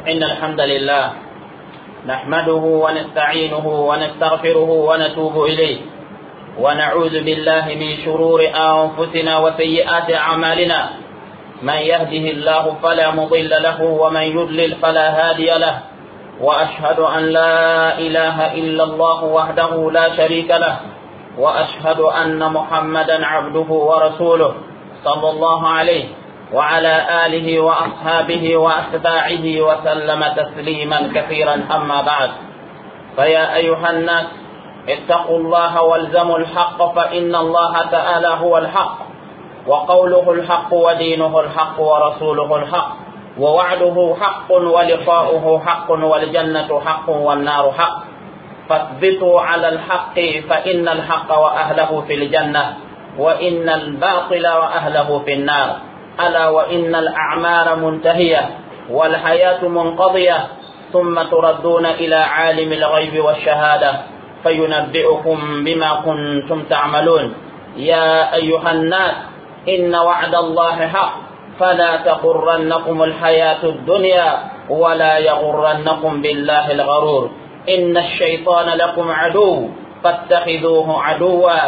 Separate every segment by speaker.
Speaker 1: إن الحمد لله نحمده ونستعينه ونستغفره ونتوب إليه ونعوذ بالله من شرور أنفسنا وسيئات أعمالنا من يهده الله فلا مضل له ومن يضلل فلا هادي له وأشهد أن لا إله إلا الله وحده لا شريك له وأشهد أن محمدا عبده ورسوله صلى الله عليه وعلى آله وأصحابه وأتباعه وسلم تسليما كثيرا. أما بعد، فيا أيها الناس اتقوا الله والزموا الحق، فإن الله تعالى هو الحق، وقوله الحق، ودينه الحق، ورسوله الحق، ووعده حق، ولقاؤه حق، والجنة حق، والنار حق. فاثبتوا على الحق، فإن الحق وأهله في الجنة، وإن الباطل وأهله في النار. ألا وإن الأعمار منتهية والحياة منقضية، ثم تردون إلى عالم الغيب والشهادة فينبئكم بما كنتم تعملون. يا أيها الناس إن وعد الله حق، فلا تغرنكم الحياة الدنيا ولا يغرنكم بالله الغرور. إن الشيطان لكم عدو فاتخذوه عدوا،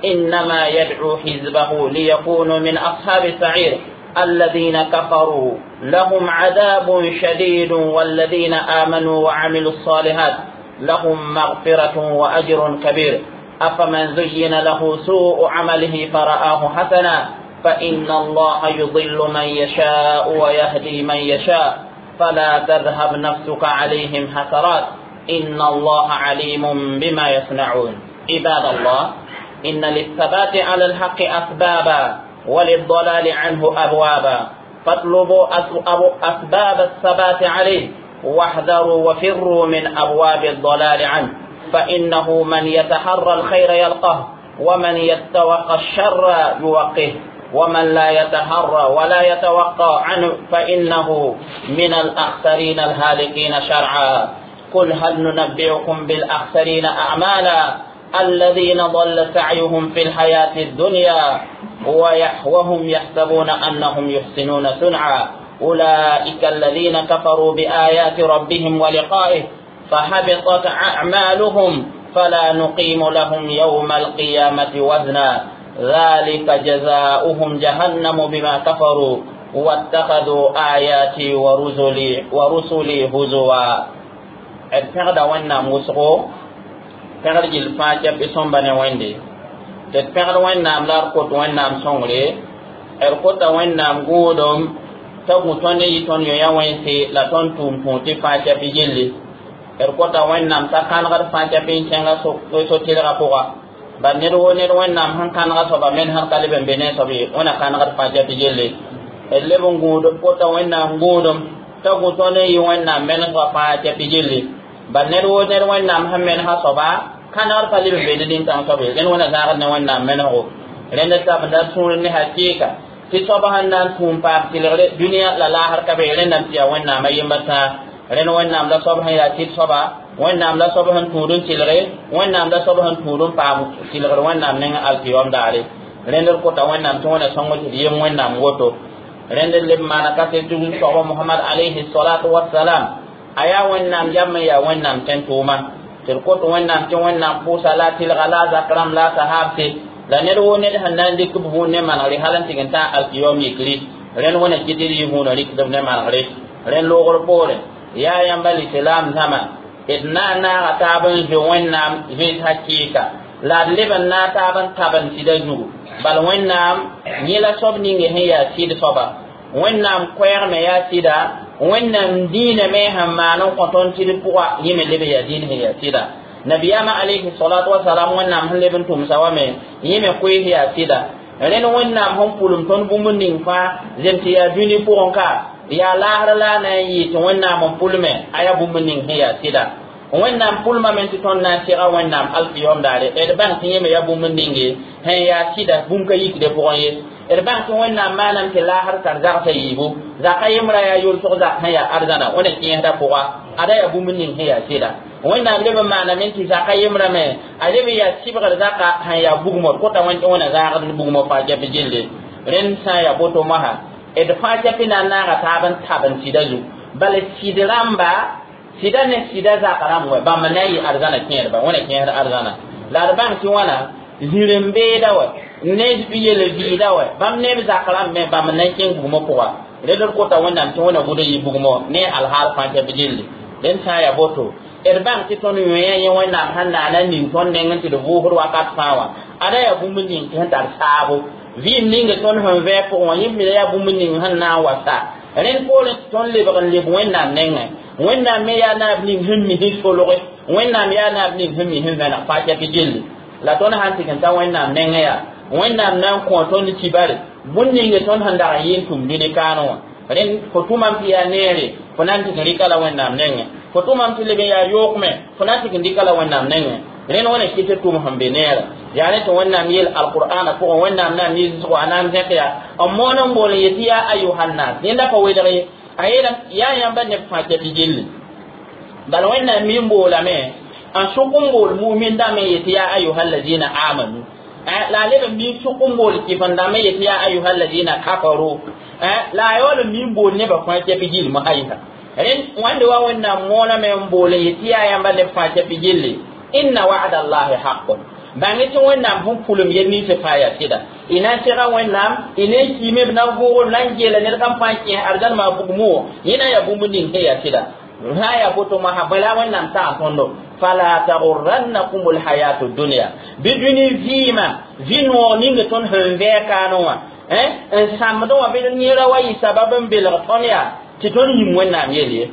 Speaker 1: إنما يدعو حزبه ليكونوا من أصحاب السعير. الذين كفروا لهم عذاب شديد، والذين آمنوا وعملوا الصالحات لهم مغفرة وأجر كبير. أفمن زين له سوء عمله فرآه حسنا، فإن الله يضل من يشاء ويهدي من يشاء. فلا تذهب نفسك عليهم حسرات، إن الله عليم بما يصنعون. عباد الله، إن للثبات على الحق أسبابا وللضلال عنه أبوابا، فاطلبوا أسباب الثبات عليه، واحذروا وفروا من أبواب الضلال عنه، فإنه من يتحرى الخير يلقه، ومن يتوقى الشر يوقه، ومن لا يتحرى ولا يتوقى عنه فإنه من الأخسرين الهالكين شرعا. قل هل ننبئكم بالأخسرين أعمالا الذين ضل سعيهم في الحياة الدنيا وهم يحسبون أنهم يحسنون صنعا. أولئك الذين كفروا بآيات ربهم ولقائه فحبطت أعمالهم فلا نقيم لهم يوم القيامة وزنا. ذلك جزاؤهم جهنم بما كفروا واتخذوا آياتي ورسلي هزوا. d pẽgda Wẽnnaam wʋsgo, pẽgd gill fãa kɛp y sõmba ne Wẽnde. Tɩ d pẽgd Wẽnnaam la d kot Wẽnnaam sõngre, d kota Wẽnnaam gũudum t'a gũ tõnd n yɩ tõnd yõ-yã wẽnse la tõnd tʋʋm tũud tɩ fãa kɛp y gilli. D kota Wẽnnaam t'a kãnegd fãa kɛp n kẽnga so-tɩlgã pʋga. Bal ned woo ned Wẽnnaam sẽn kãnega soaba men sẽn ka leb n be ne soab ye, wẽna kãnegd fãa kɛp y gilli. D leb n gũud kota Wẽnnaam gũudum t'a gũ tõnd n yɩ Wẽnnaam menesgã fãa kɛp y gilli. Bal ned woo ned Wẽnnaam sẽn menesã soaba kãnegd pa leb n be ne nin-kãng soab ye, rẽnd wẽna zãagd ne Wẽnnaam menesgo. Rẽnd tabenda sũur ne hakɩɩka tɩ soab sẽn na n tũum paam tɩlgre dũniyã la laasr ka be, rẽndame tɩ yaa Wẽnnaam a yembr tãa. Rẽnd Wẽnnaam la soab sẽn yaa tɩd soaba, Wẽnnaam la soab sẽn tũud n tɩlge, Wẽnnaam la soab sẽn tũud n paam tɩlgr Wẽnnaam neng alkiyom daare. Rẽnd d kota Wẽnnaam tɩ Wẽnna sõng tɩ d yem Wẽnnaam woto. Rẽnd d leb maana kaset tɩ soaba Mohamad alayhi salatu wassalam a yaa Wẽnnaam yam n yaa Wẽnnaam tẽn-tʋʋma. Tɩ d kot Wẽnnaam tɩ Wẽnnaam pʋʋsa la a tɩlga la a zak rãmb la a sahaabse la ned woo ned sẽn na n dɩk b vũun ne manegre hal n tɩg n tã alkiyom yikri. Rẽnd wẽna kɩ tɩ d yɩ vũunã rɩkdb ne manegre. Rẽnd loogr poore yaa yãmba lislaam zãma, d na n naaga taab n zoe Wẽnnaam zoees hakɩɩka la d leb n naag taab n tab n sɩda zugu. Bal Wẽnnaam yẽ la soab ning sẽn yaa sɩd soaba, Wẽnnaam koɛɛg me yaa sɩda, Wẽnnaam dĩinã me sẽn maan n kõ tõnd tɩd pʋga yẽ me leb n yaa dĩin sẽn yaa sɩda. Nabiyaamã alayhi salatu wasalam Wẽnnaam sẽn leb n tʋmsa wa me yẽ me koees yaa sɩda. Rẽnd Wẽnnaam sẽn pʋlem tõnd bũmb ning fãa zem tɩ yaa dũni pʋgẽ ka yaa laasr la a na n yɩ tɩ Wẽnnaam n pʋlme a yaa bũmb ning sẽn yaa sɩda. Wẽnnaam pʋlmame tɩ tõnd na n sega Wẽnnaam alkiyom daare, d bãng tɩ yẽ me yaa bũmb ninge sẽn yaa sɩda, bũmb ka yikde pʋgẽ ye. D bãng tɩ Wẽnnaam maanam tɩ laasr tar zagsã yiibu, zaka yembra yaa yolsg zak sẽn yaa arzãna wẽna kẽesdã pʋga, ada yaa bũmb ning sẽn yaa sɩda. Wẽnnaam leb n maaname tɩ zaka yembrame a leb n yaa sɩbgr zaka sẽn yaa bugmo, d kota Wẽnd tɩ Wẽna zãagd ne bugmo fãa kɛp gilli. Rẽnd sã n yaa boto mosã d fãa kɛp na n naaga taab n tab n sɩda zugu. Bala sɩd rãmba sɩda ne sɩda zak rãmb wɛ bãmb na yɩ arzãna kẽedba wẽna kẽesd arzãna la d bãng tɩ wãna zĩr-n-beeda wɛ ne yel vɩɩda wɛ bãmb neb zak rãmb me bãmb na n kẽng bugmã pʋga red d kota wẽnnaam tɩ wẽna gʋd n yɩ bugmɔ ne alhaal fãa tɩ b gilli rẽnd sã n yaa boto d bãng tɩ tõnd yõe yẽ wẽnnaam sẽn naana ning tõnd neng tɩ d vʋʋsd wakat fãa wã ada yaa bũmb ning tɩ sẽn tar saabo vɩɩm ning tõnd sẽn vɛɛ pʋgẽ wã yẽ me yaa bũmb ning sẽn na n wa sa rẽnd poorẽ tɩ tõnd lebg n leb wẽnnaam nengẽ wẽnnaam me yaa naab ning sẽn mi sẽn solge wẽnnaam yaa naab ning sẽn mi sẽn vẽneg fãa tɩ gilli la tõnd sãn tɩg n ta wẽnnaam nengẽ yaa wẽnnaam na n kõ tõnd kibare bũn ning tõnd sẽn dag n yɩ n tʋm dũni kaanẽ wã rẽnd fo tʋmame tɩ yaa neere fo na n tɩg n rɩka la wẽnnaam nengẽ fo tʋmame tɩ leb n yaa yookme fo na n tɩg n rɩka la wẽnnaam nengẽ rẽnd wẽna kɩ tɩ tʋm sẽn be neera yaa rẽ tɩ wẽnnaam yeel alqur'ana pʋgẽ wẽnnaam na n yɩ a na n zẽk yaa n moon n bool n yetɩ yaa ayuhannas yẽnda pa welg ye a yeelame yaa yãmba neb fãa tɩ gilli bala wẽnnaam mi n boolame n sʋk n bool mumin dãmb n yetɩ yaa ayuhallazina amanu la a leb n mi n sʋk n bool kɩf-n dãmb n yetɩ yaa ayuhallazina kafaru la a yaool n mi n bool nebã fãa tɩ gilmã aysa rẽnd wãnde wa wẽnnaam mooname n bool n yetɩ yaa yãmba neb fãa tɩ gilli inna wa'da allahi haqqun bãng tɩ wẽnnaam sẽn pʋlem yel nins fãa yaa sɩda y na n sega wẽnnaam y ne n kiime b na n vʋʋgr na n geela ned kam fãa kẽes arzãnmã bugmo yẽ na n yaa bũmb ning sẽn yaa sɩda sã n yaa boto mosã bõe la wẽnnaam tag tõndo fala tagurrannakum lhayatu dunya bɩ dũni vɩɩmã vɩ-noog ning tõnd sẽn vɛɛ kaanẽ wã n sãmbdẽ wã bɩ nera wa yɩ sabab n belg tõnd yaa tɩ tõnd yĩm wẽnnaam yel ye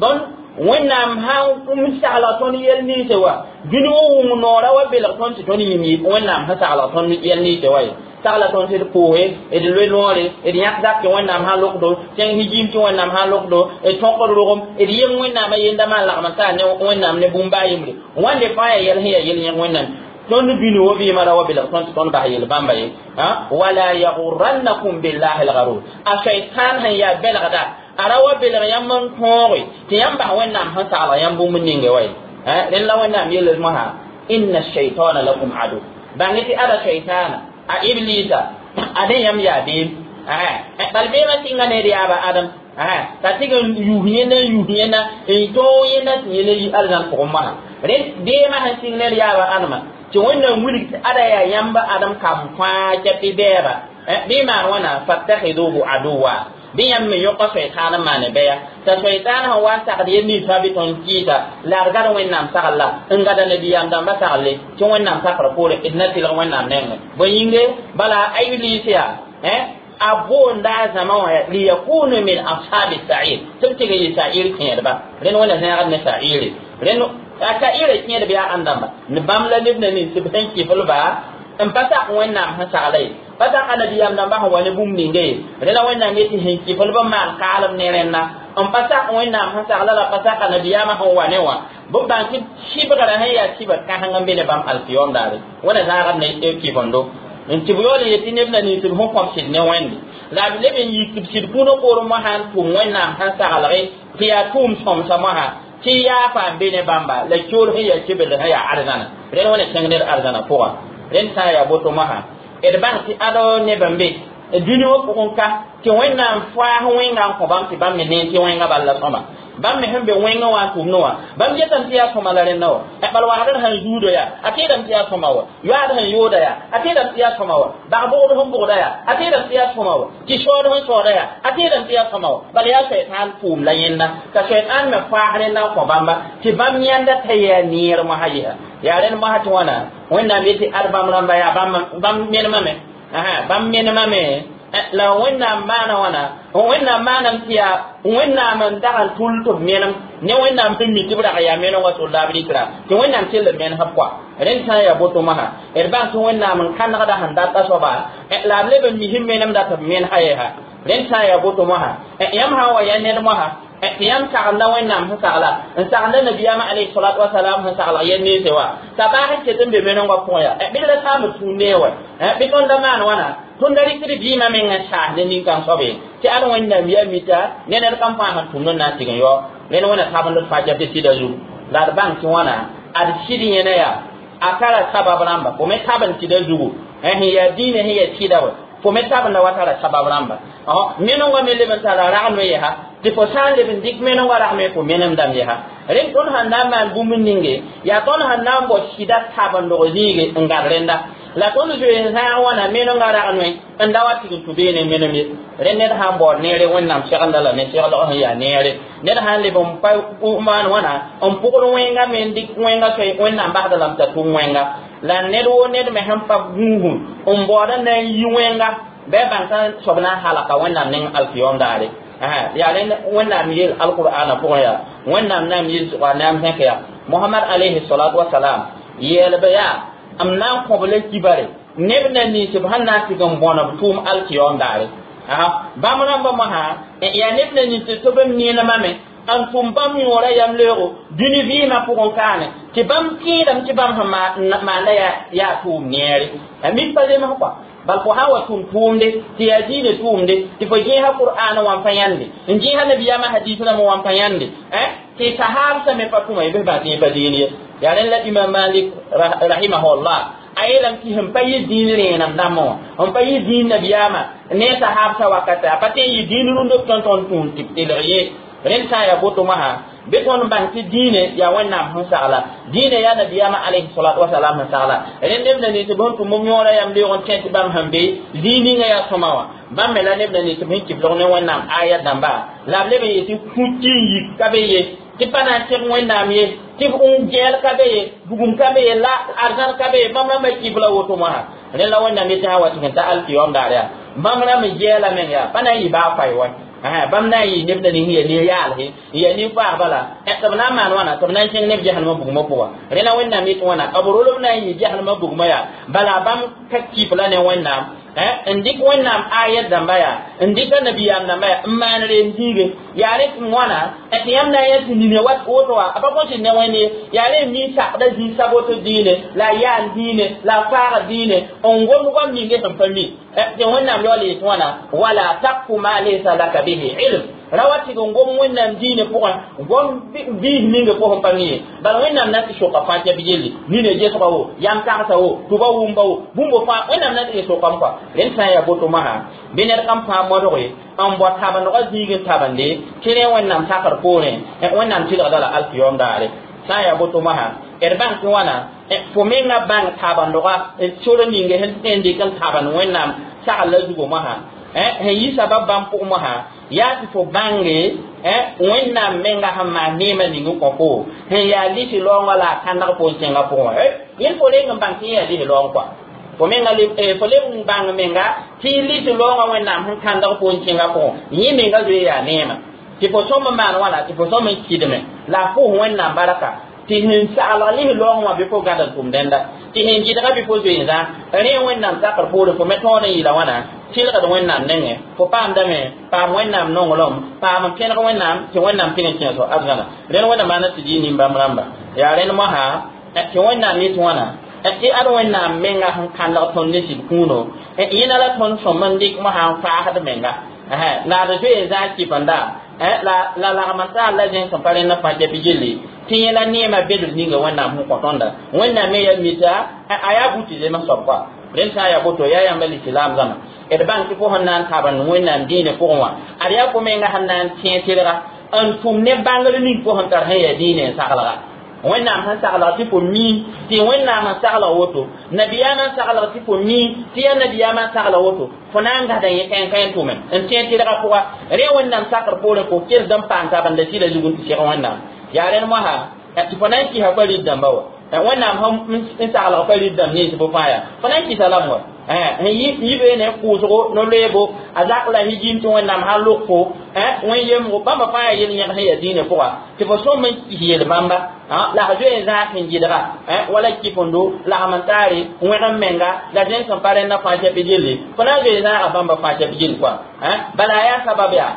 Speaker 1: bõn wẽnnaam sãn n sagla tõnd yel ninse wa dũni wã wʋng noora wa belg tõnd tɩ tõnd yĩm wẽnnaam sẽn sagla tõnd yel ninse wa ye sagla tõnd tɩ d pʋʋse d loe noore d yãk zak tɩ wẽnnaam sã lokdo tẽng hijim tɩ wẽnnaam sã lokdo d tõkd rogem d yem wẽnnaamã yendamã lagm n taa ne wẽnnaam ne bũmba a yembre wãnde fãa yaa yɛl sẽn yaa yel yẽg wẽnnaam tõnd dũni wa vɩɩmã ra wa belg tõnd tɩ tõnd bas yel bãmba ye wala yagurrannakum billahi lgarur a shaitan sẽn yaa belgda a ra wa belg yãmb n tõoge tɩ yãmb bas wẽnnaam sẽn sagl yãmb bũmb ninge wa ye rẽnd la wẽnnaam yel mosã inna shaitana lakum adu bãng tɩ ada shaitana a iblisa ade yãmb yaa beem bal beemã sɩnga ned yaaba adem t'a tɩg n yus yẽnda n yus yẽnda n tõog yẽnda tɩ yẽla yi arzãn pʋgẽ mosã rẽnd beemã sẽn sɩng ned yaaba ademã tɩ wẽnnaam wilg tɩ ada yaa yãmba adem kam fãa kɛpɩ bɛɛba bɩ maan wãna fattahiduhu aduwa bɩ yãmb me yõka soɛtaan n maane bɛya t'a soɛtaan sẽn wa n sagd yel nins fãa bɩ tõnd kɩɩsa la d gad wẽnnaam sagl la n gada nabiyaam dãmbã sagle tɩ wẽnnaam sakr poore d na tɩlg wẽnnaam nengẽ bõe yĩnge bala a ibliis yaa a boonda a zãma wã liyakunu min ashabi sa'ir tɩ b tɩg n yɩ sa'ir kẽedba rẽnd wẽnna zẽegd ne sa'ire rẽnd a sa'irã kẽedb yaa ãn-dãmba ne bãmb la neb na nins b sẽn kɩflba n pa sak wẽnnaam sẽn sagla ye pa sak a nabiyaam dãmbã sẽn wa ne bũmb ninga ye rẽ la wẽnnaam yetɩ sẽn kɩfl b maan kaalem ne rẽnna n pa sak wẽnnaam sẽn sagla la pa sak a nabiyaamã sẽn wa ne wã b bãng tɩ sɩbgrã sẽn yaa sɩbã kãseng n be ne bãmb alkiyom daare wẽna zãagd ne kɩfendo n tɩ b yaool n yetɩ neb na nins b sẽn kõb sɩd ne wẽnde la b leb n yik b sɩd kũunã poorẽ mosã n tʋm wẽnnaam sẽn saglge tɩ yaa tʋʋm sõmsã mosã tɩ yaafa n be ne bãmba la kior sẽn yaa kibl sẽn yaa arzãna rẽnd wẽna kẽng ned arzãna pʋga rẽnd sã n yaa boto mosã d bãng tɩ ado neb n be dũni wã pʋgẽ ka tɩ wẽnnaam faas wẽnga n kõ bãmb tɩ bãmb me neen tɩ wẽnga bal la sõma bãmb me sẽn be wẽngã wã n tʋmdẽ wã bãmb getame tɩ yaa sõma la rẽnda wã bal wagdr sẽn zuudo yaa a tẽedame tɩ yaa sõma wa yoaad sẽn yooda yaa a tẽedame tɩ yaa sõma wa bag-bʋgd sẽn bʋgda yaa a tẽedame tɩ yaa sõma wa tɩ sood sẽn soooda yaa a tẽedame tɩ yaa sõma wa bala yaa soɛtaan pʋʋm la yẽnda t'a soɛtaan me faas rẽnda n kõ bãmba tɩ bãmb yãnda t'a yaa neer mosã yɩsa yaa rẽnd mosã tɩ wãna wẽnnaam yetɩ ad bãmb rãmba yaa bãmb menemame bãmb menemame la wẽnnaam maana wãna wẽnnaam maanam tɩ yaa wẽnnaam n dag n tʋl tɩ b menem ne wẽnnaam sẽn mi tɩ b rag yaa menem wa sol la b rɩkra tɩ wẽnnaam kell b menesã pʋa rẽnd sã n yaa boto mosã d bãng tɩ wẽnnaam n kãnegda sẽn data soaba la b leb n misẽ menemda tɩ b menesã yɛsa rẽnd sã n yaa boto mosã yãmb sã n wa yaa ned mosã tɩ yãmb saglda wẽnnaam sẽn sagla n saglda nabiyaamã alayhi salatu wasalam sẽn sagl yel ninse wa t'a baas n ket n be menengã pʋgẽ yaa bɩ la saam b sũur nee wa bɩ tõnd da maan wãna tõnd da rɩkd vɩɩmã meng n saas ne nin-kãng soab ye tɩ ad wẽnnaam yaa mita ne ned kam fãa sẽn tʋmd n na n tɩg n yao rẽnd wẽna tabend d fãa tɩ sɩda zugu la d bãng tɩ wãna ad sɩd yẽna yaa a tara sabab rãmba fo me tabend tɩda zugu sẽn yaa dĩinã sẽn yaa sɩda wa fo me tabenda wa tara sabab rãmba menengã me leb n tara ragn me yɛsa Tɩ fo sã n leb n dɩk menengã ragme fo menemdame yaa rẽnd tõnd sẽn na n maan bũmb ninge yaa tõnd sẽn na n bao sɩda tabendg zĩige n gãd rẽnda la tõnd zoe n zãag wãna menengã rag noe n da wa tɩg n tũ beene menem ye rẽnd ned sã n baood neere wẽnnaam seglda lame seglg sẽn yaa neere ned sã n leb n pa maan wãna n pʋgd wẽnga me n dɩk wẽnga soe wẽnnaam basda lame t'a tʋm wẽnga la ned woo ned me sẽn pa gũusum n baood n na n yi wẽnga bɩ bãng t'a soab na n halka wẽnnaam neng alkiyom daare yaa rẽnd wẽnnaam yeel alqur'ana pʋgẽ yaa wẽnnaam na n yel zʋga naam zẽk yaa mohamad alayhi salatu wasalam yeelbe yaa m na n kõb la kibare neb na nins b sẽn na n tɩg n bõne b tʋʋm alkiyom daare bãmb rãmbã mosã yaa neb na nins tɩ b neenemame n tʋm bãmb yõora yam leoogo dũni vɩɩmã pʋgẽ kaane tɩ bãmb kẽedame tɩ bãmb sẽn maanda yaa tʋʋm neere mik pa zems kɔa bal fo sã n wa tʋm tʋʋmde tɩ yaa diinã tʋʋmde tɩ fo gẽesa qur'aanã wã n pa yãnde n gẽesa nabiyaamã hadiis rãmbã wã n pa yãnde tɩ sahaabsã me pa tʋma ye bɩ bã tɩ yẽ pa diin ye yaa rẽnd la imam malik rahimahullah a yeelame tɩ sẽn pa yɩ dĩin rẽenem dãmbã wã sẽn pa yɩ dĩin nabiyaamã ne sahaabsã wakata a pa tɩ n yɩ dĩin rũndb tõnd tõnd tũun tɩ b telg ye rẽnd sã n yaa boto mosã bɩ tõnd bãng tɩ dĩinã yaa wẽnnaam sẽn sagla dĩinã yaa nabiyaamã alayhi salatu wasalam sẽn sagla rẽnd neb na nins b sẽn tʋm b yõora yam leoog n tẽ tɩ bãmb sẽn be zĩig ninga yaa sõma wã bãmb me la neb na nins b sẽn kɩblg ne wẽnnaam aya dãmba la b leb n yetɩ kũ-tɩ n yik ka be ye tɩ pa na n tẽg wẽnnaam ye tɩ n gɛɛl ka be ye bugum ka be ye la arzãn ka be ye bãmb rãmbã kɩf la woto mosã rẽnd la wẽnnaam yetɩ sã n wa tɩg n ta alkiyom daar yaa bãmb rãmb gɛɛla meng yaa pa na n yɩ baa fay wa bãmb na n yɩ neb na ning ya nin-yaalse n ya nin-faag bala tɩ b na n maan wãna tɩ b na n kẽng neb jahannamã bugmã pʋga rẽ la wẽnnaam yetɩ wãna b rolb na n yɩ jahannamã bugmã yaa bala bãmb ka kɩf la ne wẽnnaam n dɩk wẽnnaam ayat dãmba yaa n dɩka nabiyaam dãmba yaa n maan reem zĩige yaa rẽ tɩ wãna tɩ yãmb na n yã tɩ nina wat woto wã a pa kõn tɩ ne wẽnd ye yaa rẽ mi sakda zĩig saboto dĩine la yaan dĩine la faaga dĩine n gomd goam ninge sẽn pa mi tɩ wẽnnaam yaool yetɩ wãna wala taqfu ma laysa laka bihi ilm ra wa tɩg n gom wẽnnaam dĩinã pʋgẽ gom biis ninga fo sẽn pa mi ye bala wẽnnaam na tɩ soka fãa tɩ b yelle nina gesga wo yam tagsã wo tʋba wʋmba wo bũmb fãa wẽnnaam na tɩ sokame kɔa rẽnd sã n yaa boto mosã bɩ ned kam fãa modge n bao tabendgã zĩig n tabende tɩ rẽ wẽnnaam sakr poorẽ wẽnnaam tɩlgda la alkiyom daare sã n yaa boto mosã d bãng tɩ wãna fo menga bãng tabendgã sor ninga sẽn dɩk n tabend wẽnnaam sagl la zugu mosã sẽn yɩ sabab bãmb pʋgẽ mosã yaa tɩ fo bãnge wẽnnaam menga sẽn maan neemã ning n kõ fo sẽn yaa lisi laoongã la a kãndg fo n kẽngã pʋgẽ wã yẽnd fo reng n bãng tɩ yẽ yaa lisi laoong kɔa fo menga fo leb n bãng menga tɩ lisi laoongã wẽnnaam sẽn kãndg fo n kẽngã pʋgẽ yẽ menga zoe yaa neemã tɩ fo sõm n maan wãna tɩ fo sõm n kɩdme la a pʋʋs wẽnnaam barka tɩ sẽn saglg lis laoongã wã bɩ fo gãd n tʋm dẽnda tɩ sẽn gɩdga bɩ fo zoe n zã rẽ wẽnnaam sakr poore fo me tõod n yɩla wãna tɩlgd wẽnnaam nengẽ fo paamdame paam wẽnnaam nonglem paam n pẽneg wẽnnaam tɩ wẽnnaam pɩg n kẽes arzãna rẽnd wẽnnaam maana tɩ dɩ nin-bãmb rãmba yaa rẽnd mosã tɩ wẽnnaam yetɩ wãna tɩ ad wẽnnaam menga sẽn kãndg tõnd ne sɩd kũuno yẽna la tõnd sõm n dɩk mosã n faasd menga la d zoe n zãag kɩpenda la lagm n taal la zẽng sẽn pa rẽnd fãa kɛpɩ gilli tɩ yẽ la neemã bedb ninga wẽnnaam sẽn kõ tõnda wẽnnaam me ya mita a yaa buti zems soab kɔa rẽnd sã n yaa boto yaa yãmba lislaam zãma d bãng tɩ fo sẽn na n tabend wẽnnaam dĩinã pʋgẽ wã ad yaa fo menga sẽn na n tẽ tɩlga n tʋm ne bãngr ning fo sẽn tar sẽn yaa dĩinã n saglga wẽnnaam sẽn saglg tɩ fo mi tɩ wẽnnaam n saglg woto nabiyaamã n saglg tɩ fo mi tɩ yaa nabiyaamã n saglg woto fo na n gasda yẽ kãen-kãen tʋme n tẽ tɩlga pʋga rẽ wẽnnaam sakr poorẽ fo kelsd n paam tabenda sɩla zug n tɩ seg wẽnnaam yaa rẽnd mosã tɩ fo na n kɩsa pa rid dãmba wa wẽnnaam sẽn saglg pa rid dãmb nins fo fãa yaa fo na n kɩsa lame wa sẽn yɩ beene kʋʋsgo no-loeebo a zak la hijim tɩ wẽnnaam sã lʋk fo wẽn yemgo bãmba fãa yaa yel-yẽg sẽn yaa dĩinã pʋga tɩ fo sõm n kis yel-bãmba la f zoe n zãag sẽn gɩdga wala kɩpendo lagm n taare wẽg n menga la zẽng sẽn pa rẽndã fãa kɛp gilli fo na n zoe zãaga bãmba fãa kɛp gill kɔa bala a yaa sabab yaa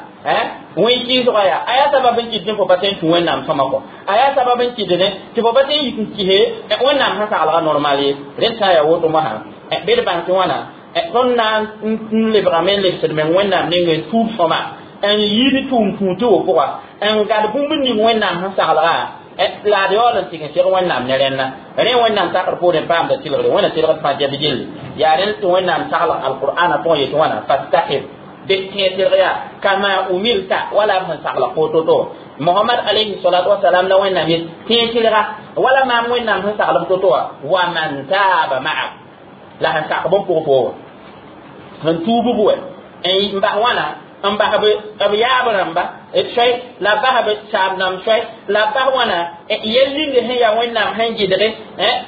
Speaker 1: wẽn kɩɩsgã yaa a yaa sabab n kɩt tɩ fo pa tõe n tũ wẽnnaam sõma kɔ a yaa sabab n kɩtdẽ tɩ fo pa tõe n yik n kɩse wẽnnaam sẽn saglga normal ye rẽnd sã n yaa woto mosã bɩ d bãng tɩ wãna tõnd na n lebgame n lebsd meng wẽnnaam neng n tuub sõma n yiid tʋʋm kũu tɩ wo pʋga n gad bũmb ning wẽnnaam sẽn saglga la d yaool n tɩg n seg wẽnnaam ne rẽnna rẽ wẽnnaam sakr poorẽ paamda tɩlgre wẽnna tɩlgd fãa gɛb gilli yaa rẽnd tɩ wẽnnaam saglg alqur'ana pʋgẽ yetɩ wãna fastaqim De tẽe kama umirta wala b sẽn sagl fo to-to Mohamad alayhi salatu wasalam la Wẽnnaam yet tẽe tɩlga wala maam Wẽnnaam sẽn sagl f to-to wã wa man taaba ma'ak la sẽn sak bõn pʋgẽ fo wã sẽn tuub b wɛ n bas wãna n bas b yaab rãmba soe la bas b saam dãmb soe la bas wãna yel ning sẽn yaa Wẽnnaam sẽn gɩdge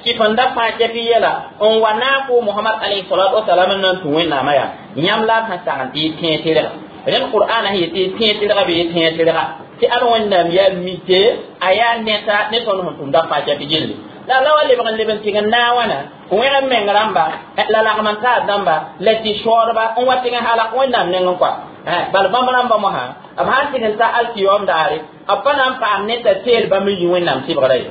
Speaker 1: kɩf n da fãa kɛpɩ yɛla n wa naag fo Mohamad alayhi salatu wasalam n na n tũ Wẽnnaamã yaa yãmb la b sẽn sagn tɩ y tẽe tɩlga rẽnd Qur'ana sẽn yetɩ y tẽe tɩlga bɩ y tẽe tɩlga tɩ ad Wẽnnaam yaa mike a yaa neta ne tõnd sẽn tʋmda fãa kɛpɩ gilli la la wa lebg n leb n tɩg n naag wãna wẽg n meng rãmba la lagm n taar dãmba la tɩ soodba n wa tɩg n halak Wẽnnaam nengẽ kɔa bal bãmb rãmba mosã b sãn tɩg n ta alkiyom daare b pa na n paam ne t'a teel bãmb n yi Wẽnnaam sɩbgra ye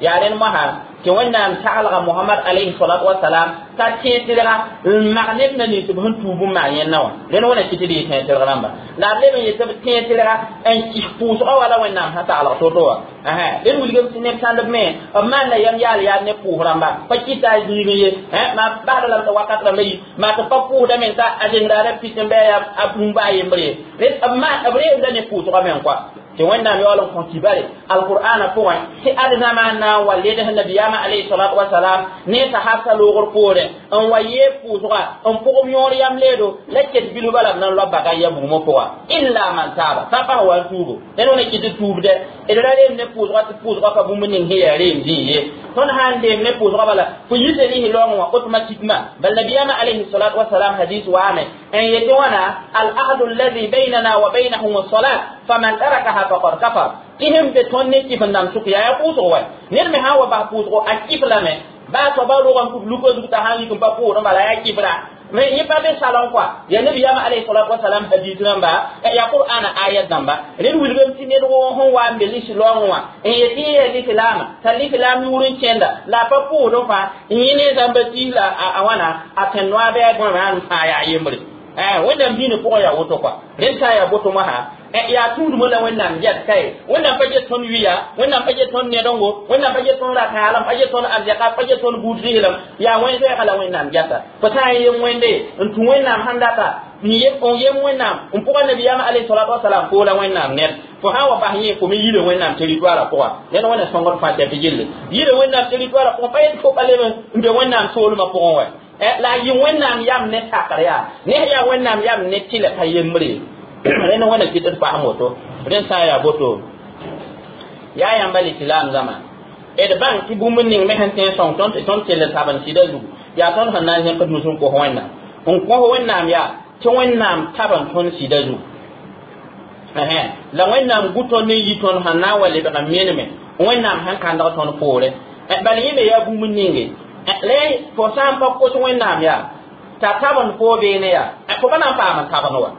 Speaker 1: yaa rẽnd mosã tɩ Wẽnnaam saglga Mohamad alayhi salatu wasalam t'a tẽe tɩlga n mag neb na nins b sẽn tuub n maan yẽnna wã rẽnd wẽna kɩ tɩ d yɩ tẽe tɩlg rãmba la b leb n yetɩ b tẽe tɩlga n kis pʋʋsgã wala Wẽnnaam sẽn saglg to-to wã rẽnd wilgame tɩ neb sãndb me b maanda yam yaal yaad ne pʋʋs rãmba pa kɩta a zĩig ye maa basda lame t'a wakat rãmba yi maa tɩ pa pʋʋsda me t'a a zẽngraara pit n bɩ a bũmba a yembre ye b reemda ne pʋʋsgã meng kɔa tɩ Wẽnnaam yaool n kõ kibare alqur'ana pʋgẽ tɩ ad zãma na n wa leds nabiyaamã alayhi salatu wasalam ne sahab loogr poorẽ n wa yee pʋʋsga n pʋgb yõor yam leedo la ket bilba la b na n loab baka n ya bugmã pʋga illa man taaba sã n pas wa n tuubo rẽnd wẽna kɩ tɩ tuubdɛ d ra reem ne pʋʋsga tɩ pʋʋsga pa bũmb ning sẽn yaa reem zĩig ye tõnd sã n leem ne pʋʋsga bala fo yita lis laoongẽ wã automatiquement bal nabiyaamã alayhi salatu wasalam hadis waame n yetɩ wãna al ahdu alladhi baynana wa baynahum as-salat faman tarakaha faqad kafar tɩ sẽn be tõnd ne kɩf n dãmb sʋk yaa yaa pʋʋsg wa ned me sã n wa bas pʋʋsgo a kɩf lame baa soaba rogã n lukã zug t'a sã n yik n pa pʋʋsdẽ bala yaa kɩfra mais yẽ pa be salon quoi ya nabiyama alayhi salatu wasalam hadith rãmba ya Qur'ana ayat dãmba rẽnd wilgame tɩ ned woo sẽn wa n be lislaoongẽ wã n yetɩ yẽ lislaama t'a lislaam yʋʋr n kẽnda la a pa pʋʋsdẽ fãa n yẽ ne zãmba tiis la a wãna a tẽn noa bɩ a gõe n fãa yaa yembre Wẽnnaam dĩinã pʋgẽ yaa woto kɔa rẽnd sã n yaa boto mosã yaa tũudmã la Wẽnnaam get kae Wẽnnaam pa get tõnd yuya Wẽnnaam pa get tõnd nedongo Wẽnnaam pa get tõnd rakaalem pa get tõnd arzɛka pa get tõnd buud zɩɩlem yaa wẽn zoɛɛga la Wẽnnaam geta fo sã n yem Wẽnde n tũ Wẽnnaam sẽn data n yem Wẽnnaam n pʋga nabiyaamã alayhi salatu wasalam fo la Wẽnnaam ned fo sã n wa bas yẽ fo me yire Wẽnnaam territoire pʋga ned Wẽnna sõngd fãa tɩ gilli yire Wẽnnaam territoire pʋgẽ pa yet fo pa leb n be Wẽnnaam soolmã pʋgẽ wɛ la a yɩ Wẽnnaam yam ne sakr yaa ne yaa Wẽnnaam yam ne tɩlɛ pa yembre rẽnd wẽna kɩt d fasem woto rẽnd sã n yaa boto yaa yãmba lislaam zãma d bãng tɩ bũmb ning me sẽn tẽ n sõng tõnd tɩ tõnd kell tabn sɩda zugu yaa tõnd sẽn na n zẽkd nus n kos Wẽnnaam n kos Wẽnnaam yaa tɩ Wẽnnaam tabn tõnd sɩda zugu la Wẽnnaam gu tõnd n yi tõnd sẽn na n wa lebg n meneme Wẽnnaam sẽn kãndg tõnd poore bala yẽ me yaa bũmb ninge la fo sã n pa kos Wẽnnaam yaa t'a tabn fo beene yaa fo pa na n paam n tabn wa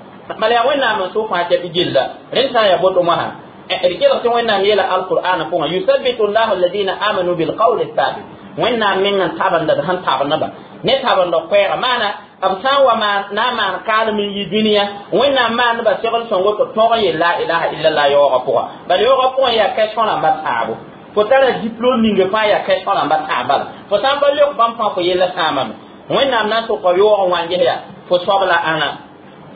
Speaker 1: bala yaa Wẽnnaam n sʋk fãa tɩ gilla rẽnd sã n yaa boto mosã d kelg tɩ Wẽnnaam yeela alqur'ana pʋgã yuthabitu llahu alladina amanu bilqawli thabit Wẽnnaam meng n tabenda d sẽn tabendba ne tabenda koɛɛga maana b sã n wa na n maan kaalem n yi dũniyã Wẽnnaam maandba segl sõngo tɩ b tõog n yel la ilaha illallah yaoogã pʋga bala yaoogã pʋgẽ yaa question rãmba tãabo fo tara diplôme ninga fãa yaa question rãmba tãab bala fo sã n pa leok bãmb fãa fo yella sãamame Wẽnnaam na n sʋka yaoog n wa n ges yaa fo soab la ãna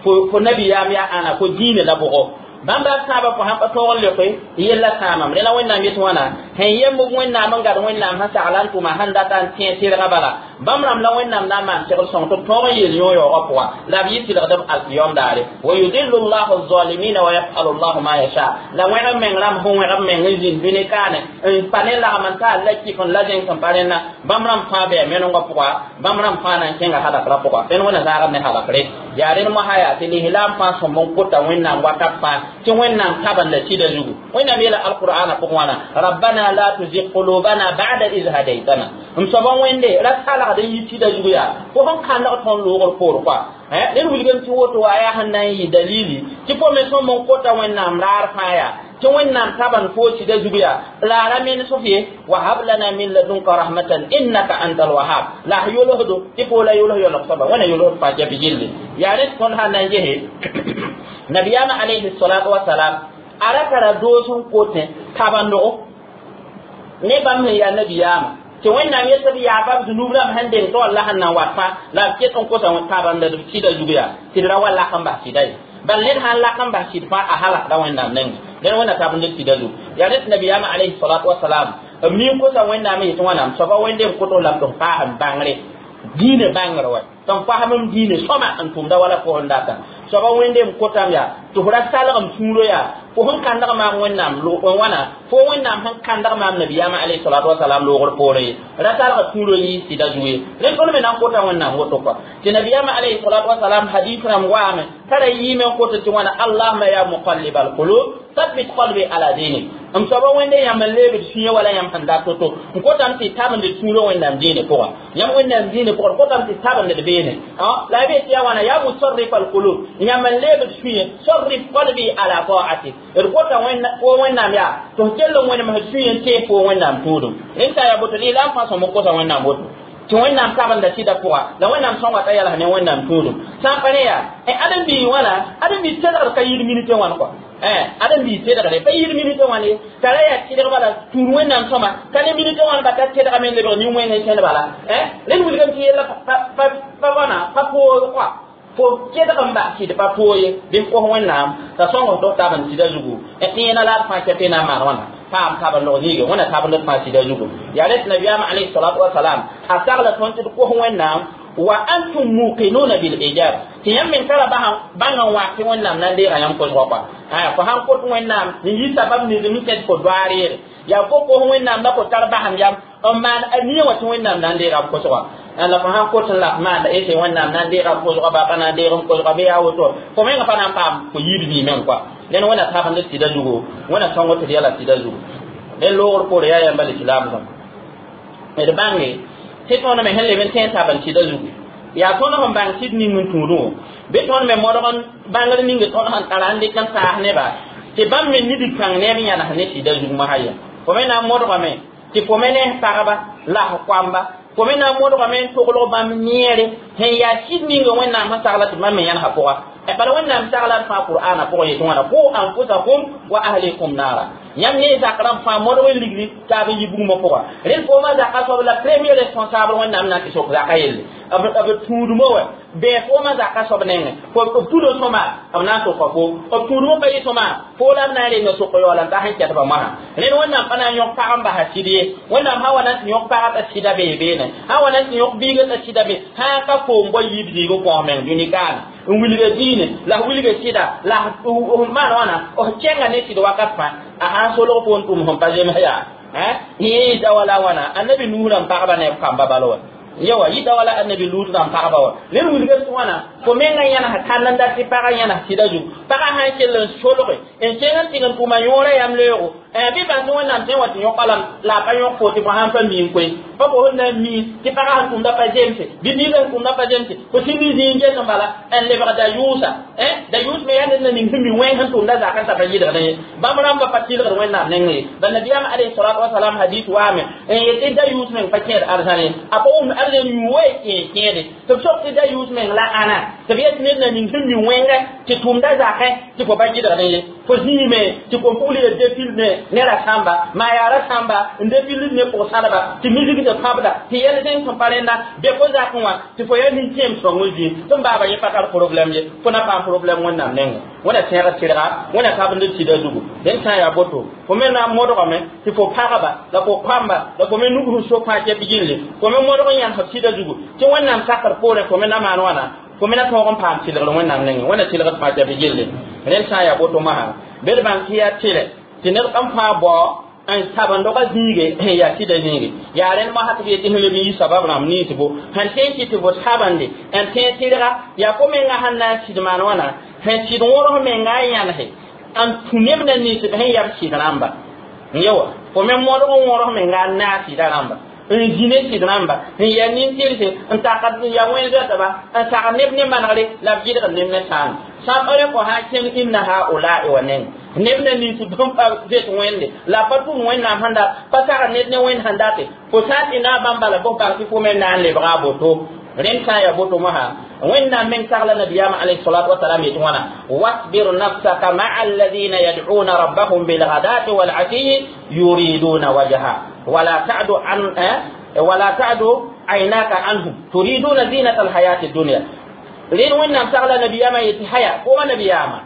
Speaker 1: fo nabiyaam yaa ãna fo dĩinã la bʋgo bãmba tãabã fo sãn pa tõog n leoke yella sãamame rẽ la Wẽnnaam yet wãna sẽn yemb Wẽnnaam n gad Wẽnnaam sẽn sagl n tʋma sẽn data n tẽ tɩrgã bala bãmb rãmb la Wẽnnaam na n maan segl sõng tɩ b tõog n yeel yõ-yaoogã pʋga la b yɩ tɩlgdb alkiyom daare wa yudillu llahu الظالمين wa yafalu llahu ma yasha la wẽg meng rãmb sẽn wẽg meng n zĩnd dũni kaane n pa ne lagm n taal la kɩf n la zẽng sẽn pa rẽnna bãmb rãmb fãa bɩ menengã pʋga bãmb rãmb fãa na n kẽnga halakra pʋga rẽnd wẽna zaagd ne halakre yaa rẽnd mosã yaa tɩ lislaam fãa sõmb n kota Wẽnnaam wakat fãa tɩ Wẽnnaam tabenda sɩda zugu Wẽnnaam yeela alqur'ana pʋgẽ wãna rabbana la tuzig qulubana ba'da iz hadaytana m soaba Wẽnde ra salgd n yi sɩda zugu yaa fo sẽn kãndg tõnd loogr poor kɔa ned wilgame tɩ woto wa yaa sẽn na n yɩ dalili tɩ fo me sõmb n kota Wẽnnaam raar fãa yaa tɩ Wẽnnaam taban fo sɩda zugu yaa la a ra menes f ye wa hab lana min ladunka rahmatan innaka anta alwahab la a yolsdo tɩ fo la yols yolg soaba wẽna yols fãa jabi gilli yaa rẽ tõnd sã na n gese nabiyaamã alayhi salatu wasalam a ra tara doos n kotẽ tabandogo ne bãmb sẽn yaa nabiyaamã Tɩ Wẽnnaam yetɩ b yaaba b zunub rãmb sẽn deng taoor la sẽn na n wat fãa la b ket n kosa tabend d sɩda zug yaa tɩ d ra wa lak n bas sɩda ye. Bal ned sãn lak n bas sɩd fãa a halakda Wẽnnaam nengẽ. Dẽn Wẽnna tabend d sɩda zug. Yaa rẽ tɩ nabiyaamã alayhi salatu wasalam b mi n kosa Wẽnnaam yetɩ wãnam soaba Wẽnde n kot lame tɩ f paasem bãngre diine bãngr wa tɩ n fasem m diine sõma n tʋmda wala fo sẽn data. Soaba Wẽnde n kotame yaa tɩ f ra salgem sũurã yaa fo sẽn kãndg maam Wẽnnaam wãna fo Wẽnnaam sẽn kãndg maam nabiyaamã alayhi salatu wasalam loogr poorẽ ye ra salga sũurã yɩ sɩda zugu ye. Rẽ tõnd me na n kota Wẽnnaam woto kɔa tɩ nabiyaamã alayhi salatu wasalam hadis rãmb waame t'a ra yɩɩme n kot tɩ wãna allahuma ya muqallib alqulub thabbit qalbi ala dinik. M soaba Wẽnde yãmb n leebd sũyã wala yãmb sẽn dat toto n kotame tɩ tabend d sũurã Wẽnnaam diine pʋga. Yãmb Wẽnnaam diine pʋgã d kotame tɩ tabend d beene la a be tɩ yaa wãna ya musarrif alqulub yãmb n leebd sũyã sarrif qalbi ala ta'atik. D kota Wẽnnaam yaa tɩ f kell n wẽnem d sũyã n tees fo Wẽnnaam tũudum. Rẽnd t'a yaa boto rɩla n fãa sõm n kosa Wẽnnaam woto tɩ Wẽnnaam tabenda sɩda pʋga la Wẽnnaam sõnga t'a yals ne Wẽnnaam tũudum. Sã n pa ne yaa ãdem-biig wãna ãdem-biig tẽlgd ka yɩɩd minute wãn kɔa. Ãdem-biig tẽlgre pa yɩɩd minute wãn ye t'a ra yaa tɩdg bala tũud Wẽnnaam sõma ka ne minute wãn ba ta tẽdgame n lebg nin-wẽng n sẽnd bala. Rẽnd wilgame tɩ yella pa wãna pa poog kɔa fo kedg n bas sɩd pa poog ye bɩ f kos Wẽnnaam t'a sõng f tɩ f tabend sɩda zugu. Tẽena la d fãa kɛtɩ na n maan wãna paam tabend lg zĩige Wẽnna tabend d fãa sɩda zugu. Yaa rẽ tɩ nabiyaamã alayhi salatu wasalam a sagla tõnd tɩ d kos Wẽnnaam wa antum muqinuna bil ijab tɩ yãmb meng tara bãng n wak tɩ Wẽnnaam na n deega yãmb kosgã kɔa. Fo sãn kot Wẽnnaam n yi sabab nins n kẽd fo doaar yeere yaa fo kos Wẽnnaam la fo tar basem yam n maan a nia wã tɩ Wẽnnaam na n deega b kosgã. La fo sãn kot n la f maanda ese Wẽnnaam na n deega b kosgã ba pa na n deeg n kosgã bɩ yaa woto fo menga pa na n paam fo yiib zĩig meng kɔa. Dẽn Wẽnna tabend d sɩda zugu Wẽnna sõng tɩ d yɛla sɩda zugu. Dẽn loogr poore yaa yãmba lislaam dãmb d bãnge tɩ tõnd me sẽn leb n tẽ tabend sɩda zugu yaa tõnd sẽn bãng sɩd ning n tũudẽ wã bɩ tõnd me modg n bãngr ning tõnd sẽn tara n dɩk n saas neba tɩ bãmb me nidg kãng neeb yãnes ne sɩda zug mosã ye. Fo me na n modgame tɩ fo me ne f pagba la f koamba fo me na n modgame n toglg bãmb neere sẽn yaa sɩd ninga Wẽnnaam sẽn sagla tɩ bãmb me yãnesã pʋga. Bala Wẽnnaam sagla d fãa Qur'aana pʋgẽ yetɩ wãna qu anfusakum wa ahlikum naara yãmb ne zak rãmb fãa modg n ligri taab n yi bugmã pʋga. Rẽnd foomã zaka soab la premier responsable Wẽnnaam na n tɩ sok zaka yelle b tũudmã wã bɩ foomã zaka soab nengẽ b tudo sõma b na n soka fo b tũudmã pa yɩ sõma fo la b na n renga sok yaoola n tas n kɛtba mosã. Rẽnd Wẽnnaam pa na n yõk pag n basa sɩd ye. Wẽnnaam sã wa na n tɩ yõk pagã t'a sɩda bee beene sã wa na n tɩ yõk biigã t'a sɩda be sã n ka foom bõe yiib zĩig n kõs meng dũni kaana n wilga diine la f wilga sɩda la f maan wãna f kẽnga ne sɩd wakat fãa a sãn solg fo n tʋm sẽn pa zems yaa yɩɩda wala wãna annabi Nuh rãmb pagba ne b kamba bal wa yawa yɩta wala annabi Lut rãmb pagba wa. Rẽnd wilga tɩ wãna fo menga yãnes kãnd n dat tɩ pagã yãnes sɩda zug pagã sãn kell n solge n kẽng n tɩg n tʋma yõorã yam leoogo bɩ bãng tɩ Wẽnnaam tẽ wa tɩ yõka lame la a pa yõk fo tɩ fo sãn pa mi n koe pa fo sẽn na n mi tɩ pagã sẽn tʋmda pa zemse bɩ biigã sẽn tʋmda pa zemse fo sẽn mi zĩig n ges n bala n lebg da yʋʋsa da yʋʋs me yaa ned na ning sẽn mi wẽng sẽn tʋmda zak n t'a pa yɩlgdẽ ye bãmb rãmbã pa tɩlgd Wẽnnaam nengẽ ye. Bal nabiyaamã alayhi salatu wasalam hadis waame n yet tɩ da yʋʋs meng pa kẽed arzãn ye a pa wʋmd arzãn yũ wa kẽe kẽede tɩ b sok tɩ da yʋʋs meng la ãna tɩ b yet ned na ning sẽn mi wẽngã tɩ tʋmda zakẽ tɩ fo pa yɩlgdẽ ye fo zĩime tɩ kom-pugl ya defil ne nera sãmba maa yaa ra sãmba n defil ne pʋg-sãdba tɩ misg tɩ pãbda tɩ yɛl zẽng sẽn pa rẽnda be fo zakẽ wã tɩ fo yaa nin-kẽem sõng n zĩ tɩ n baaba yẽ pa tar problɛm ye fo na paam problɛm Wẽnnaam nengẽ. Wẽnna tẽegd tɩrga Wẽnna tabend d sɩda zugu. Dẽnd sã n yaa boto fo me na n modgame tɩ fo pagba la fo koamba la fo me nug sẽn so fãa kɛp gilli fo me modg n yãnes b sɩda zugu tɩ Wẽnnaam sakr poorẽ fo me na maan wãna fo me na tõog n paam tɩlgr Wẽnnaam nengẽ. Wẽnna tɩlgd fãa kɛp gilli. Rẽnd sã n yaa boto mosã bɩ d bãng tɩ yaa tɩlɛ tɩ ned n fãa bao n tabendgã zĩige sẽn yaa sɩda zĩige yaa rẽnd mosã tɩ b yetɩ sẽn leb n yi sabab rãmb ninsbo sẽn tõe n kɩt tɩ fo tabende n tẽ tɩrga yaa fo menga sẽn na n sɩd maan wãna sẽn sɩd wõrs menga n yãnese n tũ neb na ninsb sẽn yab sɩd rãmba yawa fo me modg n wõrs menga n naag sɩda rãmba n zĩ ne sɩd rãmba n yaa nin-tɩrse n takd n yaa wẽn-zoɛtba n sagd neb ne manegre la b yɩlgd neb ne sãang sãn pa rẽ kõ sã n kẽng inna haula'i wa neng neb na nins bãmb pa vet wẽnde la pa tʋm Wẽnnaam sẽn dat pa sagd ned ne wẽnd sẽn date fo sã n tɩ na bãmb bala bõe bãng tɩ fo me na n lebga a boto. Rẽnd sã n yaa boto mosã Wẽnnaam meng sagla nabiyaamã alayhi salatu wasalam yetɩ wãna wasbir nafsaka ma'a alladhina yad'una rabbahum bilghadati wal'ashiyi yuriduna wajha wala ta'du an Wala ta'du aynaka anhum turiduna zinata alhayati dunya. Ren wẽnnaam sagla nabiyaamã yetɩ haya pʋgã nabiyaamã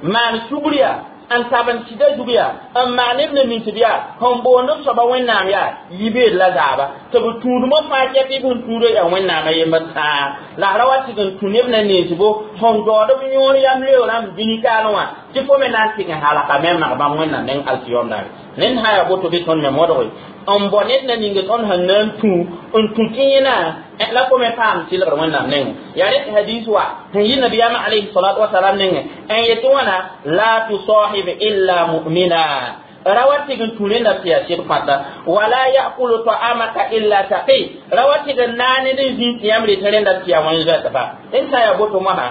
Speaker 1: maan sugr yaa n tab n tɩda zug yaa n maan neb na mins yaa sẽn boond b soaba wẽnnaam yaa yibeed la zaaba tɩ b tũudmã fãa kɛp b sẽn tũudo yaa wẽnnaamã yembr tãa la ra wa tɩg n tũ neb na ninsbo sẽn daood b yõor yam leoog rãmb bini kaalẽ wã tɩ fo me na n tɩg n halakame n mag bãmb wẽnnaam neng alkiyom daare ned sã yaa boto bɩ tõnd me modge n bao ned na ning tõnd sẽn na n tũ n tũ tɩ yẽna la fo me paam tɩlgr wẽnnaam nengẽ yaa rẽ tɩ hadis wa sẽn yɩ nabiyaamã alayhi salatu wasalam nengẽ n yetɩ wãna la tusahib illa mu'mina ra wa tɩg n tũ rẽnda tɩ yaa sɩd kõata wala yakulu ta'amaka illa taqi ra wa tɩg n naa ned n zĩ tɩ yãmb rɩt rẽnda tɩ yaa wẽn-zoɛtba d sã yaa boto mosã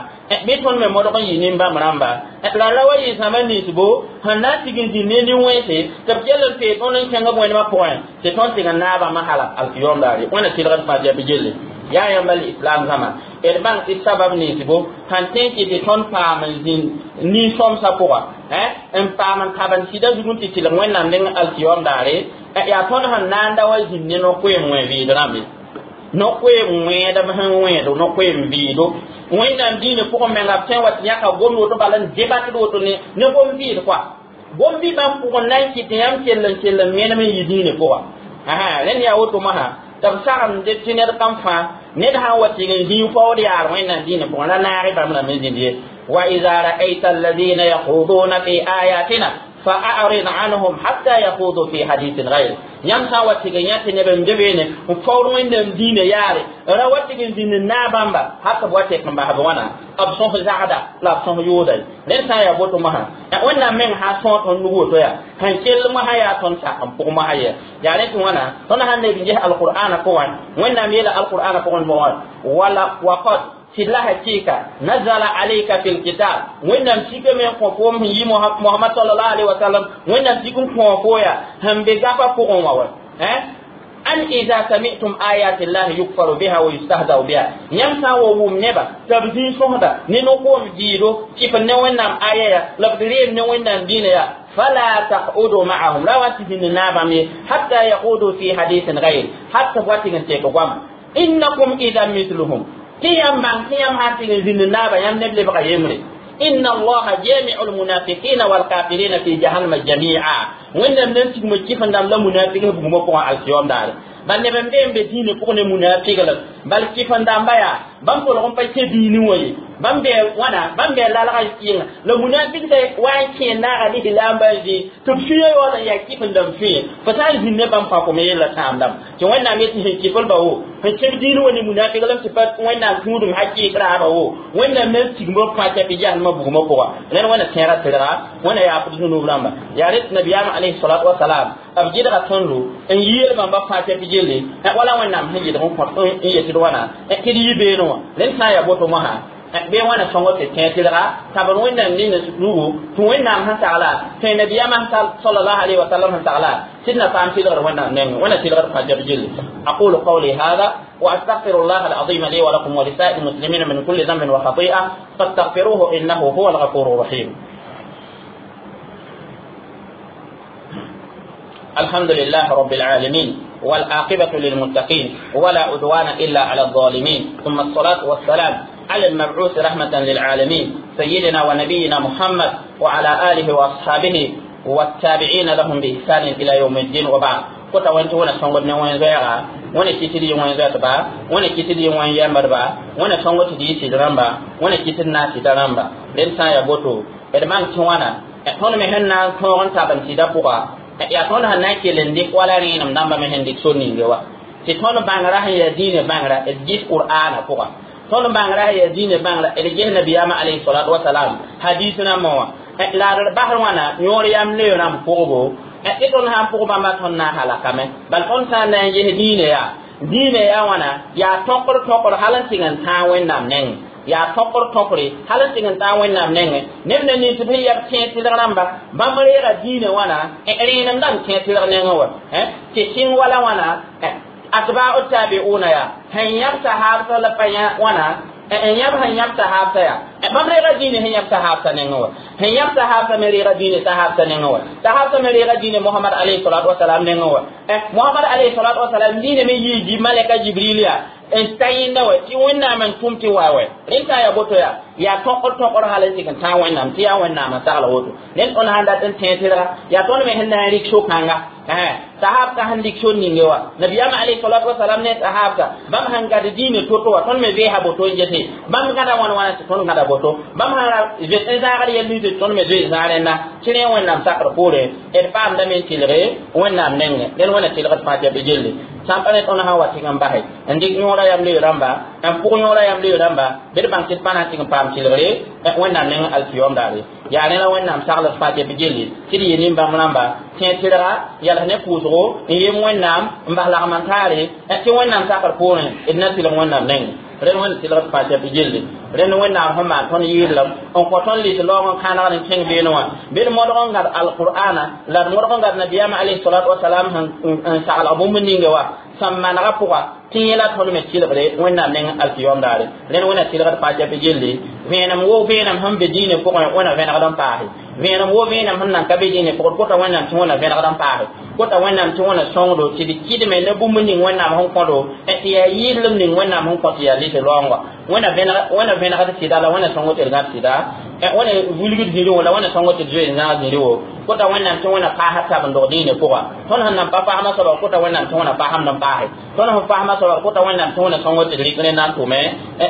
Speaker 1: bɩ tõnd me modg n yɩ nin-bãmb rãmba la ra wa yɩ zãma ninsbo sẽn na n tɩg n zĩ ne nin-wẽnse tɩ b kell n pee tõnd n kẽng b wẽnemã pʋgẽ tɩ tõnd tɩg n naabãmã hala alkiyom daare wẽna tɩlgd fãa tɩ gelle yaa yãmb al-islam zãma d bãng tɩ sabab ninsbo sẽn tõe n kɩ tɩ tõnd paam n zĩnd nin-sõmsã pʋga n paam n tab n sɩda zug n tɩ tɩlg wẽnnaam neng alkiyom daare yaa tõnd sẽn na n da wa zĩnd ne no-koeem wẽ vɩɩd rãmbe no-koeem wẽedb sẽn wẽedo no-koeem vɩɩdo wẽnnaam diinã pʋgẽ menga b tõe n wa tɩ yãka gomd woto bala n debatd woto ne gom vɩɩd koa gom bɩ bãmb pʋgẽ na n kɩt tɩ yãmb kell n kell n menem n yɩ diinã pʋga rẽnd yaa woto mosã tɩ b sagem tɩ ned kam fãa ned sã n wa tɩg n zĩig faood yaar wẽnnaam diinã pʋgẽ la naag bãmb rãmb n zĩnd ye wa ida ra'ayta alladhina yakhuduna fi ayatina fa'arid anhum hatta yakhudu fi hadithin ghayr yãmb sã n wa tɩg n yã tɩ neb n be beene n faood wẽnnaam diinã yaare ra wa tɩg n zĩnd naag bãmba hal tɩ b wa tek n bas b wãna b sõs zagda la b sõs yooda rẽnd sã n yaa boto mosã wẽnnaam meng sã sõor tõnd nug woto yaa sẽn kell mosã yaa tõnd sak n pʋg mosã ye yaa rẽ tɩ wãna tõnd sãn leb n ges alqur'ana pʋgẽ wẽnnaam yeela alqur'ana pʋgẽ wala waqad tɩ la hakika nazala alayka fil kitab wẽnnaam tikame n kõ foom sẽn yi Mohamad sallallahu alaihi wasallam wẽnnaam tik n kõ fo yaa sẽn be gapa pʋgẽ wã wa an idha sami'tum ayati llahi yukfaru biha wa yustahza'u biha yãmb sã n wa wʋm neba tɩ b zĩig sõsda ne no-koom vɩɩdo tɩ f ne wẽnnaam aya ya la b reem ne wẽnnaam dĩinã yaa fala taqudu ma'ahum la wa tɩ zĩnd naabãmb ye hatta yaqudu fi hadithin gayr hatta b wa tɩg n tek goama innakum idan mithluhum tɩ yãmb bãng tɩ yãmb sã n tɩg n zĩnd naaba yãmb neb lebga yembre inna allaha jami'u almunafiqina walkafirina fi jahannama jami'a wẽnnaam na n tigma kɩf-n-dãmb la munafik bugmã pʋgã alkiyom daare bal neb n be n be dĩinã pʋgẽ ne munafiglem bal kɩf-n-dãmba yaa bãmb kolg n pa kẽ diinẽ wã ye bãmb bɩ wãna bãmb bɩ lalga yɩnga la munafik wa n kẽ naaga lislaambã n zĩ tɩ b sũyã yaool n yaa kɩf-n-dãmb sũyẽ fo sã n zĩnd ne bãmb fãa kom yella tãam dãmb tɩ wẽnnaam yetɩ sẽn kɩf-l ba wo sẽn kẽb dĩinẽ wã ne munafiglem tɩ pa wẽnnaam tũudum hakɩɩk raaba wo wẽnnaam na n tigma b fãa tɩ jahanamã bugmã pʋga rẽnd wẽna tẽega tɩrga wẽna yaa b zũnub rãmba yaa rẽ tɩ nabiyaamã alayhi salatu wasalam b gɩdga tõndo n yeel bãmba fãa tɩ gelle wala wẽnnaam sẽn yɩdg n kõt n yetd wãna tɩ d yɩ beene wã rẽnd sã n yaa boto mosã bɩ wãna sõngr tɩ tẽ tɩlga tabr wẽnnaam nina nugu tɩ wẽnnaam sẽn sagla tɩ nabiyaamã sallallahu alayhi wa sallam sẽn sagla tɩ d na paam tɩlgr wẽnnaam nengẽ wẽna tɩlgr fãa jab gelle aqulu qawli hada وأستغفر الله العظيم لي ولكم ولسائر المسلمين من كل ذنب وخطيئة فاستغفروه إنه هو الغفور الرحيم. الحمد لله رب العالمين والعاقبة للمتقين ولا عدوان إلا على الظالمين ثم الصلاة والسلام على المبعوث رحمة للعالمين سيدنا ونبينا محمد وعلى آله وأصحابه والتابعين لهم بإحسان إلى يوم الدين وبعد. kota wẽn tɩ wẽna sõngd ne wẽn zoɛɛga wẽna kɩt d yɩ wẽn zoɛtba wẽna kɩt d yɩ wẽn yɛmbdba wẽna sõngd tɩ d yɩ sɩd rãmba wẽna kɩt d naas sɩda rãmba rẽnd sã n yaa boto d bãng tɩ wãna tõnd me sẽn na n tõog n tab n sɩda pʋga yaa tõnd sẽn na n kell n dɩk wala rẽenem dãmba me sẽn dɩk sor ninge wa tɩ tõnd bãngrã sẽn yaa diinã bãngrã d gɩs qur'aana pʋga tõnd bãngrã sẽn yaa diinã bãngrã d ges nabiyaamã alayhi salatu wasalam hadis rãmbã wã la d basr wãna yõor yam leo rãmb pʋgbo tɩ tõnd sã n pʋg bãmba tõnd na n halakame bal tõnd sã n na n ges diinã yaa wãna yaa tõkr tõkr hal n tɩg n tãag wẽnnaam nengẽ yaa tõkr tõkre hal n tɩg n tãag wẽnnaam nengẽ neb na nins b sẽn yɛb tẽeg tɩlg rãmba bãmb reega diinã wãna rẽenem dãmb tẽeg tɩlg nengẽ wa tɩ sɩng wala wãna atba'u tabi'una yaa sẽn yãb sahaabsã la pa wãna n yãb sẽn yãb sahaabsã yaa Bãmb reega dĩinã sẽn yãb sahaabsã nengẽ wa sẽn yãb sahaabsã me reega dĩinã sahaabsã nengẽ wa sahaabsã me reega dĩinã Mohamad alayhi salatu wasalam nengẽ wa Mohamad alayhi salatu wasalam dĩinã me yii malɛka Jibril yaa n ta yẽnda wa tɩ Wẽnnaam n tʋm tɩ wa wɛ rẽn t'a yaa boto yaa tõkr hal n tɩk n tãag Wẽnnaam tɩ yaa Wẽnnaam n sagl woto ned tõnd sãn dat n tẽeg tɩrga yaa tõnd me sẽn na n rɩk so-kãnga sahabta sẽn lik sor ninge wa nabiyama alayhi salatu wasalam ne sahabta bãmb sẽn gad diinã to-to wa tõnd me veesa boto n gese bãmb gãda wãn wãna tɩ tõnd gãda boto bãmb sã ra zoet n zãagd yɛl nins tɩ tõnd me zoe zãag rẽnda tɩ rẽ Wẽnnaam sakr poorẽ d paamdame n tɩlge Wẽnnaam nengẽ ned wẽna tɩlgd fãa tɩ b gelle sãn pa ne tõnd sã wa tɩg n base n dɩk yõora yam leeg rãmba n pʋg yõora yam leeg rãmba bɩ d bãng tɩ d pa na n tɩg n paam tɩlgre Wẽnnaam nengẽ alkiyom daare yaa rẽ la Wẽnnaam sagld fãa tɩ b gelle tɩ d yɩ nin-bãmb rãmba tẽ tɩrga yals ne pʋʋsgo n yem Wẽnnaam n bas lagm n taare tɩ Wẽnnaam sakr poorẽ d na tɩlg Wẽnnaam nengẽ rẽnd wẽnd tɩlgd fãa tɩ b gelle rẽnd Wẽnnaam sẽn maan tõnd yɩɩlem n kõ tõnd lɩs laoog n kãnegd n kẽng beene wã bɩ d modg n gãd alqur'ana la d modg n gãd nabiyaam alayhi salatu wasalam n saglg bũmb ninge wa sẽn manegã pʋga tɩ yẽla tõnd me tɩlgre Wẽnnaam nengẽ alkiyom daare rẽnd wẽna tɩlgd fãa tɩ b gelle vẽenem wo vẽenem sẽn be dĩinã pʋgẽ wẽna vẽnegd n paase vẽenem wo vẽenem sẽn nan ka be dĩinã pʋgẽ kota Wẽnnaam tɩ wẽna vẽnegd n paase kota Wẽnnaam tɩ wẽna sõngdo tɩ d kɩdme ne bũmb ning Wẽnnaam sẽn kõdo tɩ yaa yɩɩlem ning Wẽnnaam sẽn kõ tɩ yaa lɩs raoongã wẽna vẽnegd sɩda la wẽna sõngo tɩ d gãd sɩda wẽna wilgd zĩri wã la wẽna sõngo tɩ d zoe zãag zĩri wo kota Wẽnnaam tɩ wẽna paasd tab n dog dĩinã pʋga tõnd sẽn nan pa fasmã soaba kota Wẽnnaam tɩ wẽna pasem n paase tõnd sẽn fasmã soaba kota Wẽnnaam tɩ wẽna sõngo tɩ d rɩk rẽnda n tʋme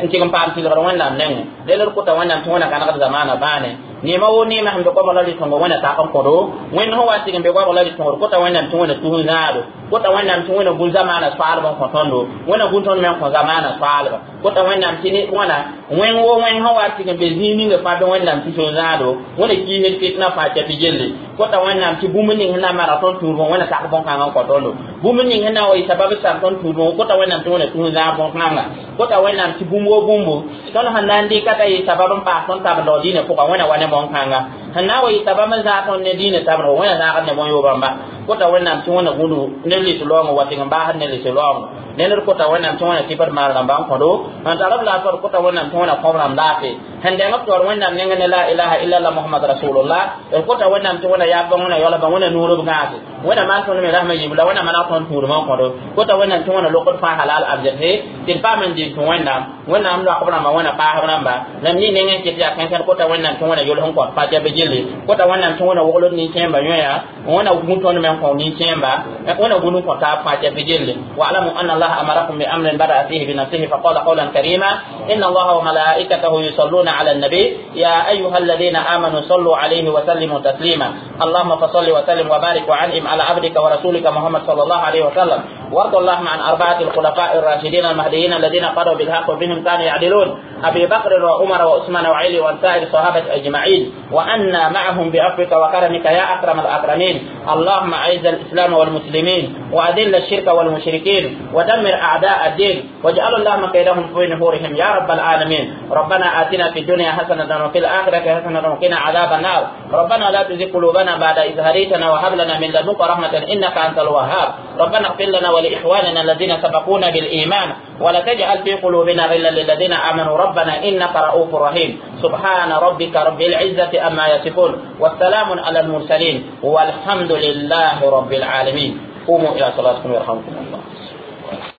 Speaker 1: n tɩg n paam tɩlgd Wẽnnaam nengẽ del d kota Wẽnnaam tɩ wẽna gãnegd zamaana bãane neema wo neema sẽn be goabg la rɩ-sõngo wẽna tak n kõdo wẽnd sẽn wa tɩg n be goabg la rɩ-sõngd kota Wẽnnaam tɩ wẽna tus n zãado kota Wẽnnaam tɩ wẽna gũl zamaana soaalb n kõ tõndo wẽna gũl tõnd me n kõ zamaana soaalba kota Wẽnnaam tɩ ne wãna wẽng wo wẽng sẽn wa tɩg n be zĩig ninga fãa bɩ Wẽnnaam tus n zãado wẽna kiisd fitna fãa tɩ b gelle kota Wẽnnaam tɩ bũmb ning sẽn na n maneg tõnd tũudmã wẽna sak bõn-kãngã n kõ tõndo bũmb ning sẽn na n wa yɩ sabab sãm tõnd tũudmã kota Wẽnnaam tɩ wẽna tus n zãag bõn-kãnga kota Wẽnnaam tɩ bũmb wo bũmbu tõnd sẽn na n dɩka t'a yɩ sabab n paas tõnd tab n dog dĩinã pʋga wẽna wa ne bõn-kãnga sẽn na n wa yɩ sabab n zãag tõnd ne dĩinã tabdgo wẽna zãagd ne bõn-yoobãmba kota Wẽnnaam tɩ wẽna gũud ne lɩs laoongã wa tɩg n baasd ne lɩs laoongã ned d kota Wẽnnaam tɩ wẽna tɩp d maan rãmba n kõdo n tar b laafɩ d kota Wẽnnaam tɩ wẽna kõb rãmb laafɩ sẽn dẽng b taoor Wẽnnaam nengẽ ne la ilaha illallah Mohamad rasulullah d kota Wẽnnaam tɩ wẽna yaabã wẽna yaolbã wẽna nuur b gãase wẽna maan tõnd me rasmã yib la wẽna maneg tõnd tũudmã n kõdo kota Wẽnnaam tɩ wẽna lokd fãa halal arzɛse tɩ d paam n dɩ tɩ Wẽnnaam Wẽnnaam loakb rãmba wẽna paasb rãmba la ni nengẽ kɩt yaa kẽnsẽd kota Wẽnnaam tɩ wẽna yol sẽn kõt fãa tɩ b gelle kota Wẽnnaam tɩ wẽna wogld nin-kẽembã yõya wẽna gũ tõnd me n kõ nin-kẽemba wẽna gũd n kõ taab fãa tɩ b gelle wa'lamu anna Allah amarakum bi amrin bada'a fihi bi nafsihi faqala qawlan karima inna Allaha wa malaikatahu yusalluna 'ala an-nabi ya ayyuha alladhina amanu sallu 'alayhi wa sallimu taslima Allahumma fasalli wa sallim wa barik wa an'im 'ala 'abdika wa rasulika Muhammad sallallahu alayhi wa sallam وارض اللهم عن أربعة الخلفاء الراشدين المهديين الذين قضوا بالحق وبهم كانوا يعدلون أبي بكر وعمر وعثمان وعلي وسائر الصحابة أجمعين وأنا معهم بعفوك وكرمك يا أكرم الأكرمين اللهم أعز الإسلام والمسلمين وأذل الشرك والمشركين ودمر أعداء الدين واجعل اللهم كيدهم في نحورهم يا رب العالمين ربنا آتنا في الدنيا حسنة وفي الآخرة حسنة وقنا عذاب النار ربنا لا تزغ قلوبنا بعد إذ هديتنا وهب لنا من لدنك رحمة إنك أنت الوهاب ربنا اغفر لنا ولإخواننا الذين سبقونا بالإيمان ولا تجعل في قلوبنا غلا للذين آمنوا ربنا إنك رؤوف رحيم سبحان ربك رب العزة أما يصفون والسلام على المرسلين والحمد لله رب العالمين قوموا إلى صلاتكم يرحمكم الله.